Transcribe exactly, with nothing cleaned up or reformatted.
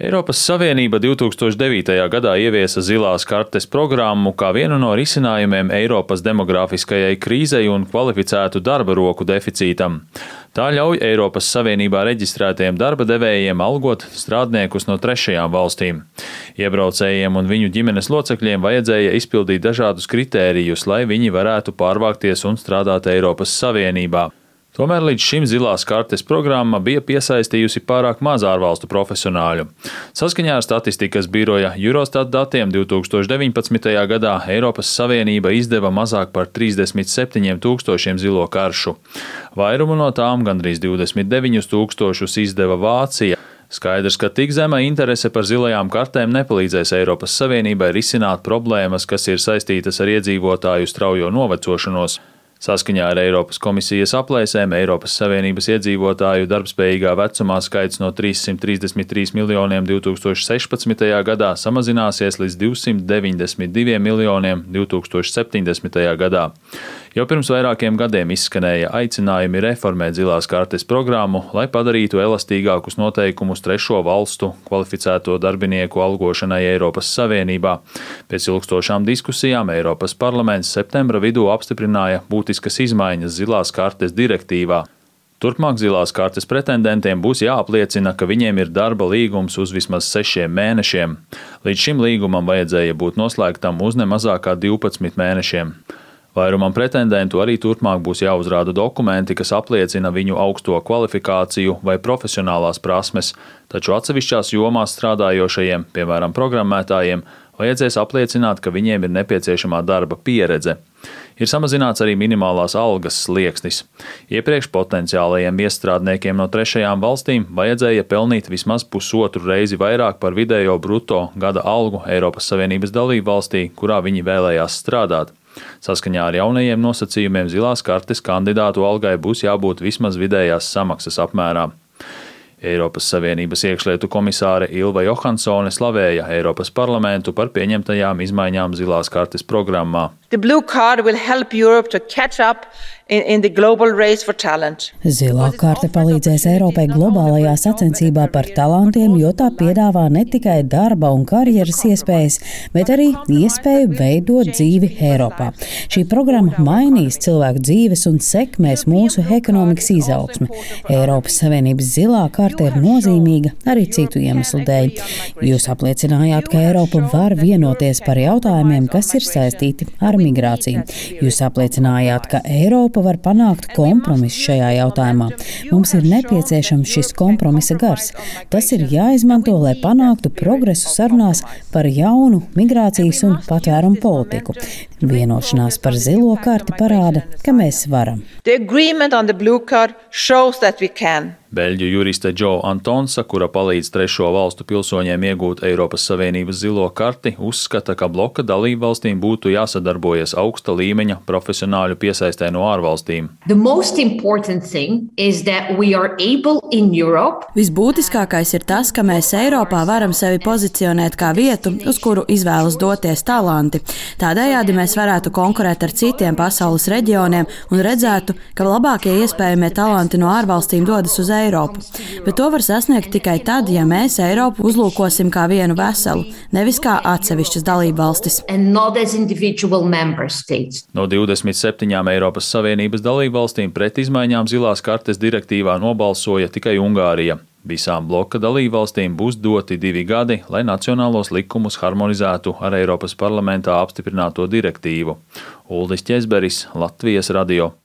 Eiropas Savienība divtūkstoš devītajā gadā ieviesa zilās kartes programmu kā vienu no risinājumiem Eiropas demografiskajai krīzei un kvalificētu darba roku deficītam. Tā ļauj Eiropas Savienībā reģistrētiem darba devējiem algot strādniekus no trešajām valstīm. Iebraucējiem un viņu ģimenes locekļiem vajadzēja izpildīt dažādus kritērijus, lai viņi varētu pārvākties un strādāt Eiropas Savienībā. Tomēr līdz šim zilās kartes programma bija piesaistījusi pārāk maz ārvalstu profesionāļu. Saskaņā ar statistikas biroja Eurostat datiem divtūkstoš deviņpadsmitajā gadā Eiropas Savienība izdeva mazāk par trīsdesmit septiņiem tūkstošiem zilo karšu. Vairumu no tām, gandrīz divdesmit deviņus tūkstošus, izdeva Vācija. Skaidrs, ka tik zema interese par zilajām kartēm nepalīdzēs Eiropas Savienībai risināt problēmas, kas ir saistītas ar iedzīvotāju straujo novecošanos. Saskaņā ar Eiropas komisijas aplēsēm Eiropas Savienības iedzīvotāju darbspējīgā vecumā skaits no trīssimt trīsdesmit trīs miljoniem divtūkstoš sešpadsmitajā gadā samazināsies līdz divsimt deviņdesmit diviem miljoniem divtūkstoš septiņdesmitajā gadā. Jau pirms vairākiem gadiem izskanēja aicinājumi reformēt zilās kartes programmu, lai padarītu elastīgākus noteikumus trešo valstu kvalificēto darbinieku algošanai Eiropas Savienībā. Pēc ilgstošām diskusijām Eiropas parlaments septembra vidū apstiprināja būtiskas izmaiņas zilās kartes direktīvā. Turpmāk zilās kartes pretendentiem būs jāapliecina, ka viņiem ir darba līgums uz vismaz sešiem mēnešiem. Līdz šim līgumam vajadzēja būt noslēgtam uz nemazākā divpadsmit mēnešiem. Vairumam pretendentu arī turpmāk būs jāuzrāda dokumenti, kas apliecina viņu augsto kvalifikāciju vai profesionālās prasmes, taču atsevišķās jomās strādājošajiem, piemēram, programmētājiem, vajadzēs apliecināt, ka viņiem ir nepieciešamā darba pieredze. Ir samazināts arī minimālās algas slieksnis. Iepriekš potenciālajiem iestrādniekiem no trešajām valstīm vajadzēja pelnīt vismaz pusotru reizi vairāk par vidējo bruto gada algu Eiropas Savienības dalībvalstī, kurā viņi vēlējās strādāt. Saskaņā ar jaunajiem nosacījumiem zilās kartes kandidātu algai būs jābūt vismaz vidējās samaksas apmērā. Eiropas Savienības iekšlietu komisāre Ilva Johansone slavēja Eiropas parlamentu par pieņemtajām izmaiņām zilās kartes programmā. The blue card will help Europe to catch up in, in the global race for talent. Zilā karte palīdzēs Eiropai globālajā sacensībā par talantiem, jo tā piedāvā ne tikai darba un karjeras iespējas, bet arī iespēju veidot dzīvi Eiropā. Šī programma mainīs cilvēku dzīves un sekmēs mūsu ekonomikas izaugsmi. Eiropas Savienības zilā karte ir nozīmīga arī citu iemeslu dēļ. Jūs apliecinājāt, ka Eiropa var vienoties par jautājumiem, kas ir saistīti ar migrāciju. Jūs apliecinājāt, ka Eiropa var panākt kompromisu šajā jautājumā. Mums ir nepieciešams šis kompromisa gars. Tas ir jāizmanto, lai panāktu progresu sarunās par jaunu migrācijas un patvērumu politiku. Vienošanās par zilo karti parāda, ka mēs varam. The agreement on the blue card shows that we can. Beļģu juriste Jo Antonsa, kura palīdz trešo valstu pilsoņiem iegūt Eiropas Savienības zilo karti, uzskata, ka bloka dalībvalstīm būtu jāsadarbojas augsta līmeņa profesionāļu piesaistē no ārvalstīm. Visbūtiskākais ir tas, ka mēs Eiropā varam sevi pozicionēt kā vietu, uz kuru izvēlas doties talanti. Tādējādi mēs varētu konkurēt ar citiem pasaules reģioniem un redzētu, ka labākie iespējamie talanti no ārvalstīm dodas uz Eiropu. Bet to var sasniegt tikai tad, ja mēs Eiropu uzlūkosim kā vienu veselu, nevis kā atsevišķas dalībvalstis. No divdesmit septiņām Eiropas Savienības dalībvalstīm pret izmaiņām zilās kartes direktīvā nobalsoja tikai Ungārija. Visām bloka dalībvalstīm būs doti divi gadi, lai nacionālos likumus harmonizētu ar Eiropas parlamentā apstiprināto direktīvu. Uldis Ķezberis, Latvijas radio.